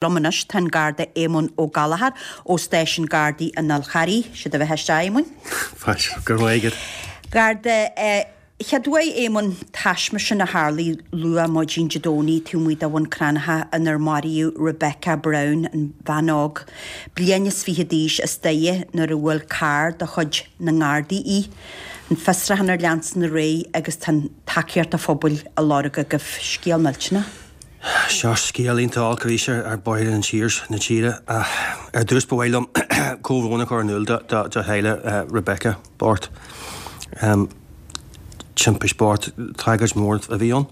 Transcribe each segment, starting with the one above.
Liom anois tá an Garda Éamonn Ó Gallchóir ó Stáisiún Gardaí an Fháil Charraigh. Sé do bheatha isteach, a Éamoinn. Fáilte, go raibh maith agat. Garda, Chéad uair, Éamonn, taisme sin a tharlaigh luath maidin Dé Domhnaigh taobh amuigh de Bhun Cranncha inar maraíodh Rebecca Brown, an bhean óg, bliain is fichead d'aois, as Doire nuair a bhuail carr de chuid na nGardaí í. An fiosrúchán ar leanstan ar aghaidh agus tá an tacaíocht an phobail á lorg agaibh. Scéal millteanach. Seo scéal iontach olc arís ar bhóithre na tíre. Ar dtús ba mhaith liom comhbhrón a chur in iúl do theaghlach Rebecca bocht. Timpiste bocht, tragóid mhór a bhí ann.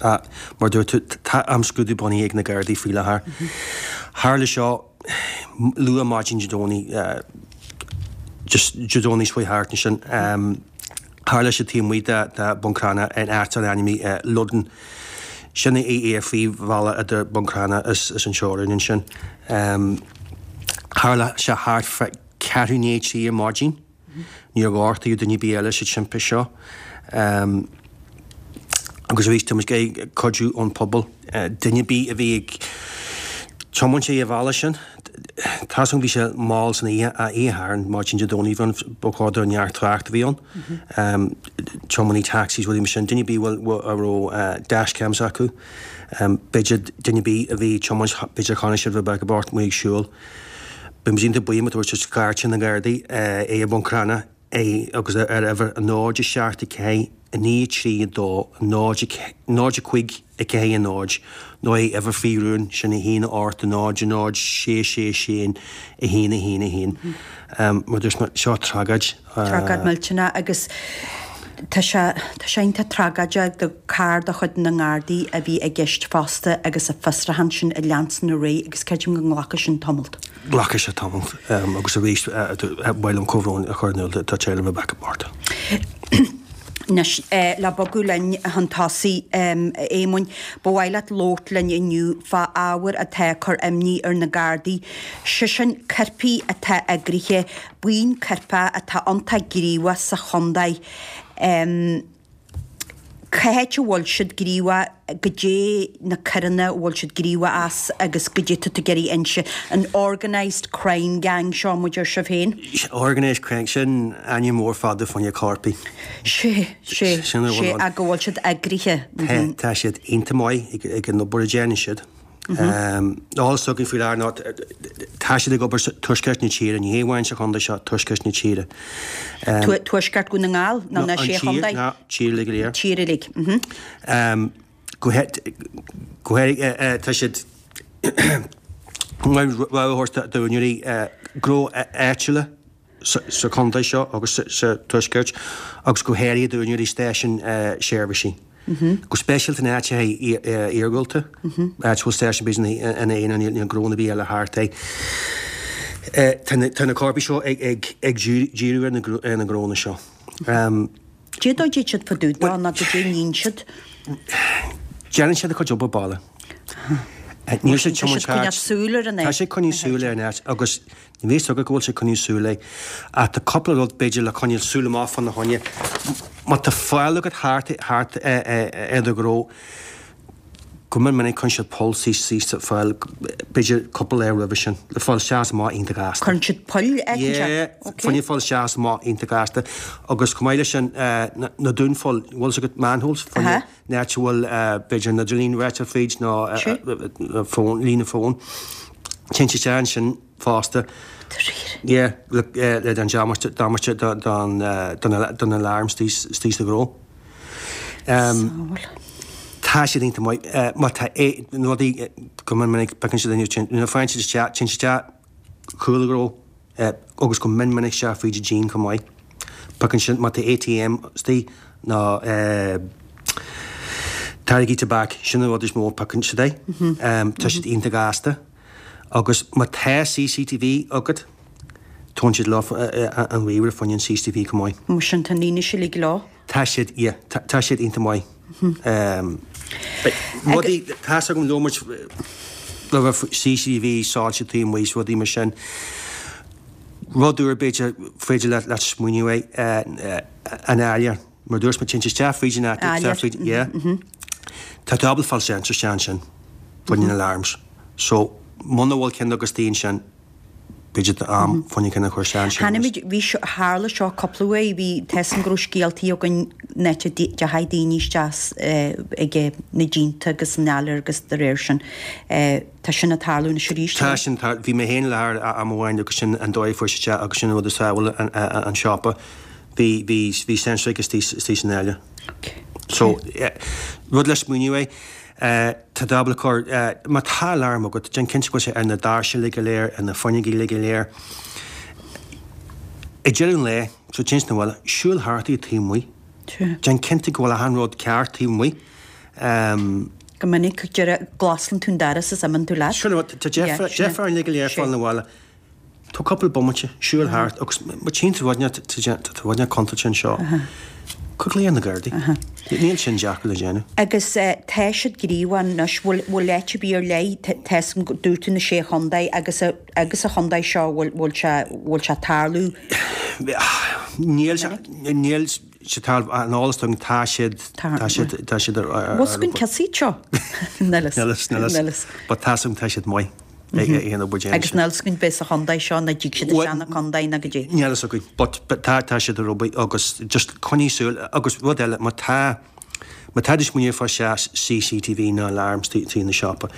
Mar a dúirt tú, tá imscrúdú bunaithe ag na Gardaí faoi láthair. Tharla seo luath maidin Dé Domhnaigh, just Dé Domhnaigh seo thart ansin. Tharla sé taobh amuigh de Bhun Cranncha in áit atá ainmnithe Loudon. Sin é ar phríomhbhealach idir Bun Cranncha is an teorainn ansin. Tharla sé thart fá ceathrú i ndiaidh a 3 ar maidin. Níor gortaíodh duine ar bith eile sa timpiste seo. Agus arís tá muid ag iarraidh cuidiú ón pobal. Duine ar bith a bhí ag tiomáint ar an bhealach sin, tá's agam bhí sé mall san oíche, oíche Shathairn, maidin Dé Domhnaigh bhí ann, ba chóir do neart trácht a bhí ann. Tiománaí taxis, rudaí mar sin, duine ar bith a raibh dashcams acu, b'fhéidir duine ar bith a bhí ag tiomáint, b'fhéidir chonaic siad Rebecca bocht amuigh ag siúl. Beidh muid iontach buíoch má tabharfaidh siad cairt na nGardaí é i mBun Cranncha. é agus ar uimhir 0 7 4 9 3 2 0 0 5 4 0 nó é uimhir faoi rún, sin 1 8 0 0 6 6 6 1 1 1. Mar dúirt mé, seo tragóid. Tragóid millteanach agus tá sé tá sé iontach tragóideach gur carr de chuid na nGardaí a bhí i gceist fosta agus an fiosrúchán sin ag leanstan ar aghaidh agus creidim go nglacfaidh sin tamalt. Glacfaidh sé tamall agus arís ba mhaith liom comhbhrón a chur in iúl do teaghlach Rebecca bocht. Anois, le bogadh linn chun tosaigh, a Éamoinn, ba mhaith leat labhairt linn inniu fá ábhar atá ag cur imní ar na Gardaí, sé sin coirpigh atá eagraithe, buíon coirpeach atá iontach gníomhach sa chontae. Cá háit a bhfuil siad gníomhach, goidé na coireanna a bhfuil siad gníomhach as agus goidé tá tú ag iarraidh inse, an organised crime gang seo, mar a deir sibh féin? Organised crime, sin ainm mór fada fá choinne coirpigh. Sé, sé, sé, ach go bhfuil siad eagraithe. Tá, tá siad iontach maith ag an obair a déanann siad. Eolas atá againn faoi láthair ná tá siad ag obair sa tuaisceart na tíre, ní hé amháin sa chontae seo, tuaisceart na tíre. Tuaisceart Dhún na nGall nó na Sé Chontae? An tír, ná tír uilig go léir. Tír uilig. Go háirithe tá siad rabhadh a thabhairt d'úinéirí gnó áitiúla sa chontae seo agus sa tuaisceart agus go háirithe d'úinéirí stáisiún seirbhísí. Go speisialta in áiteacha iargúlta, áit a bhfuil stáisiún b'fhéidir ina aonar, níl gnó ar bith eile thart é. Tá na coirpigh seo ag díriú ar na gnónna seo. Cén dóigh a dtéid siad fá dtaobh dó nó goidé a níonn siad? Déanann siad a gcuid obair baile. Níl siad tiomáint thart. Tá siad coinneáil súil ar an áit. Tá siad coinneáil súil ar an áit agus Níl a fhios agat go bhfuil sé ag coinneáil súil air. Ach tá cúpla rud, b'fhéidir, le coinneáil súil amach fána choinne. Má tá faill agat thart thart ar do ghnó, go mion minic cuireann siad poll síos sa pholl, b'fhéidir cúpla lá roimhe sin, le fáil isteach is amach iontach gasta. Cuireann siad poill éicint Yeah, fá choinne fáil isteach is amach iontach gasta. Agus chomh maith leis sin, na dúnphoill, bhfuil fhios agat manholes, fá choinne an áit a bhfuil b'fhéidir an idirlíon ráite fríd nó líne fóin. Téann siad isteach ansin fosta. Dáiríre? Yeah, le le an damáiste damáiste don don don don alarm istigh istigh sa ghnó. Samhail. Tá siad iontach maith. Má tá é na rudaí go mion minic piocann siad inniu nuair a faigheann siad isteach téann siad isteach cúl an ghnó agus go mion minic isteach fríd an díon chomh maith. Piocann siad má tá ATM istigh nó táirgí tobac sin an rud is mó a phiocann siad é. Tá siad iontach gasta. Agus má tá CCTV agat, tógann siad leo an ríomhaire fá choinne an CCTV chomh maith. Mar sin, tá an fhianaise uilig leo. Tá siad, yeah, tá siad iontach maith. Rudaí, tá's agam labhair muid roimhe CCTV, soilse taobh amuigh is rudaí mar sin. Rud úr b'fhéidir féidir leat smaoineamh air, an áiléar. Mar dúirt mé, téann siad isteach fríd an attic, isteach fríd, yeah. Tá tú ábalta fáil sensor isteach ansin, fá choinne na alarms. So, muna bhfuil ceann agat istigh ansin, b'fhéidir tá am fá choinne ceann a chur isteach ansin. Chonaic muid, bhí seo, tharla seo cúpla uair, bhí, tá 'fhios a'm go raibh scéaltaí againn an áit a dteachaigh daoine isteach ag na díonta agus an áiléar agus de réir sin. Tá sin ag tarlú anois arís. Tá sin, tá, bhí mé féin i láthair am amháin agus sin an dóigh a fuair siad isteach agus sin an rud a sábháil an siopa. Bhí, bhí, bhí sensor istigh, istigh san áiléar. So, rud le smaoineamh é. Tá dábla cur, má tá alarm agat, déan cinnte go bhfuil sé ar na doirse uilig go léir, ar na fuinneoga uilig go léir. Ag deireadh an lae, so téann tú 'na bhaile, siúil thart taobh amuigh. Déan cinnte go bhfuil achan rud ceart taobh amuigh. Go minic, deireadh, glasann tú an doras is imíonn tú leat. Sin rud, tá deifir orainn uilig go léir fáil 'na bhaile. Tóg cúpla bomaite, siúil thart agus má tchíonn tú rud inteacht, tá rud inteacht contúirteach anseo, cuir glao ar na Gardaí. Níl sin deacair le déanamh. Agus tá siad gníomhach anois, bhfuil bhfuil áit ar bith ar leith, tá 'fhios a'm, dúirt tú na sé chontae agus agus sa chontae seo bhfuil bhfuil sé bhfuil sé ag tarlú? Níl sé níl sé tarlú, an eolas agam tá siad tá siad tá siad ar ar Bhfuil 'fhios againn cé hiad seo? Níl 'fhios. Níl 'fhios, níl 'fhios. But tá 'fhios agam tá siad maith. Agus níl 'fhios againn bith sa chontae seo ná dtig siad isteach na contae ná goidé. Níl 'fhios againn but tá tá siad ar obair agus just coinnigh súil agus rud eile má tá má tá tú ag smaoineamh fá CCTV nó alarm istigh ina siopa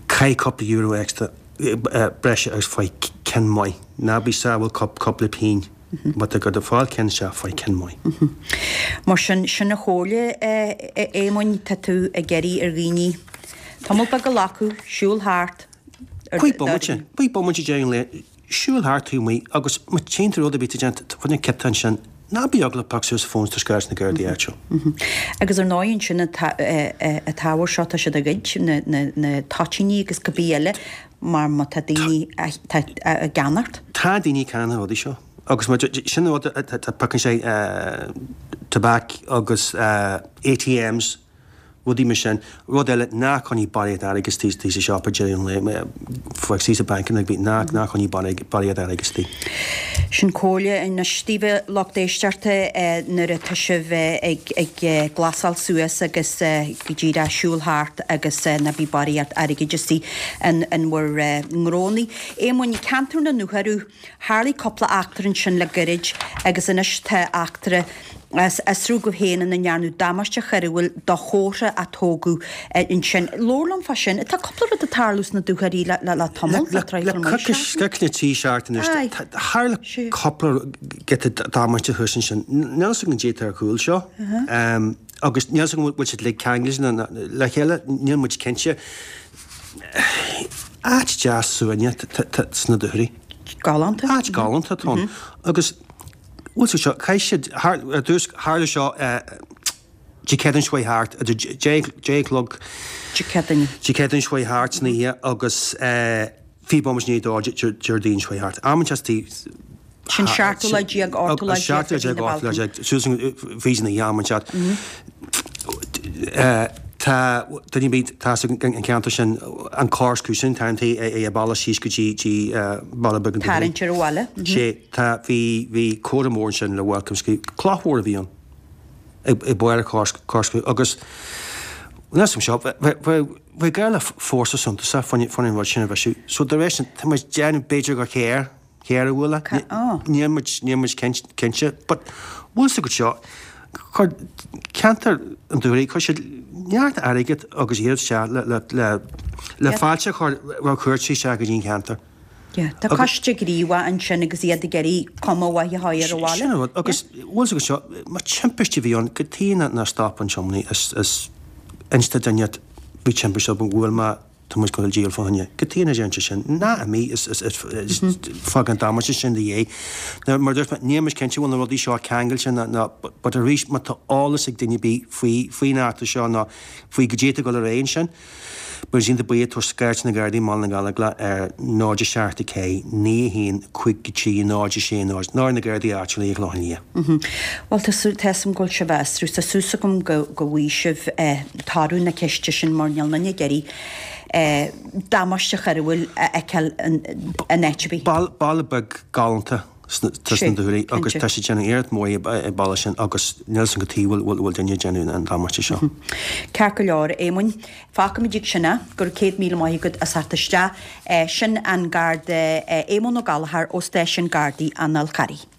caith cúpla euro extra breise agus faigh ceann maith. Ná bí sábháil cúpla pingin. Má tá tú ag fáil ceann seo, faigh ceann maith. Mar sin, sin an chomhairle, a Éamoinn, tá tú ag iarraidh ar dhaoine tamall beag a ghlacadh, siúl thart ar Cúig bomaite, cúig bomaite ag deireadh an lae, siúl thart taobh amuigh agus má tchíonn tú rud ar bith atá déanta, fá choinne ciota ansin, ná bí eaglach, pioc suas an fón is tabhair scairt na Gardaí áitiúil. Agus ar ndóigh ansin an t-ábhar seo tá siad á ghoid, na toitíní agus cibé eile, mar má tá daoine á gceannacht. Tá daoine ag ceannach na rudaí seo agus sin an rud atá piocann sé tobac agus ATMs, rudaí mar sin. Rud eile, ná coinnigh barraíocht airgid istigh sa siopa deireadh an lae, fág istigh sa banc ná ná coinnigh barraíocht airgid istigh. Sin comhairle anois daoibh a lucht éisteachta nuair atá sibh ag glasáil suas agus go díreach siúl thart agus ná bí barraíocht airgid istigh in bhur ngnónnaí. Éamoinn, ceantar na nDúchoradh, tharlaigh cúpla eachtra ansin le goirid agus anois tá eachtra á fhiosrú agaibh féin ina ndearnadh damáiste choiriúil do chófra a tógadh ansin. Labhair liom fá sin. Tá cúpla rud ag tarlú sna Dúchoraidh le tamall, le traidhfil mhaith seachtain. Le coicís na trí seachtaine anois, tharla cúpla giota damáiste thuas ansin. Níl a fhios againn goidé atá ar chúl seo. Agus níl a fhios agam an bhfuil siad uilig ceangailte le chéile, níl muid cinnte. Áit deas suaimhneach sna Dúchoraidh. Galánta. Áit galánta atá ann. Agus bhfuil sé seo, chaith siad, ar dtús, tharla seo Dé Céadaoin seo chuaigh thart, idir deich a chlog, Dé Céadaoin. Dé Céadaoin seo chuaigh thart san oíche agus 20 bomaite i ndiaidh a dó Déardaoin seo chuaigh thart. Am inteacht Sin 17ú lá, 18ú lá de mhí na Bealtaine. Suas fríd an oíche am inteacht. Tá duine ar bith atá sa cheantar sin, an corscrew, sin an t-ainm é an bealach síos go dtí Baile Beag na Dúchoraidh. Tarraingt ar an bhaile. Sé, tá, bhí, bhí comhartha mór ansin le Welcome scríofa, cloch mhór a bhí ann ag barr an corkscrew agus níl a fhios agam seo, bheadh, Bhí gá le fórsa suntasach fá choinne an rud sin a bhriseadh. So dá réir sin, tá muid ag déanamh b'fhéidir gur chaor, caor a bhuail é. Níl muid, níl muid cinnte. But bhfuil fhios agat seo, chuir ceantar an Dúchoraidh, chuir siad neart airgead agus iarracht isteach le, le, le, le fáilte a chur roimh chuairteoirí isteach go dtí an cheantar. Yeah, tá coiste gníomhach ansin agus iad ag iarraidh cuma mhaith a chur ar an bhaile. Sin an rud. Agus bhfuil fhios agat seo, má timpiste a bhí ann, cad chuige nár stop an tiománaí is is inis do dhuine bhí timpiste agam, bhuail mé, tá muid ag gabháil a díol fá choinne. Cad chuige nár dhein sé sin? Ná imigh is is is fág an damáiste sin ina dhiaidh. Now mar a dúirt mé, níl muid cinnte an bhfuil na rudaí seo ceangailte nó nó but arís má tá eolas ag duine ar bith faoi faoin eachtra seo nó faoi goidé atá ag dul ar aghaidh ansin, Beidh siad iontach buíoch tabhair scairt na Gardaí i mBaile na Gallóglach ar 0 7 4 9 1 5 3 0 6 0 nó ar na Gardaí áitiúla i gClochán Liath. Bhuel, tá súil, tá 'fhios a'm go bhfuil sibh á fhiosrú. Tá súil agam go go bhfaighidh sibh toradh na ceiste sin mar níl aon duine ag iarraidh damáiste choiriúil a fheiceáil in áit ar bith. Baile beag galánta. sna Dúlaí agus tá siad ag déanamh iarracht mhór an bealach sin agus níl 's agam cad chuige a bhfuil duine ag déanamh an damáiste seo. Ceart go leor, a Éamoinn. Fágfaimid ag sin é. Go raibh 100,000 maith agat as theacht isteach. Sin an Garda Éamonn Ó Gallchóir ó Stáisiún Gardaí an Fhál Charraigh.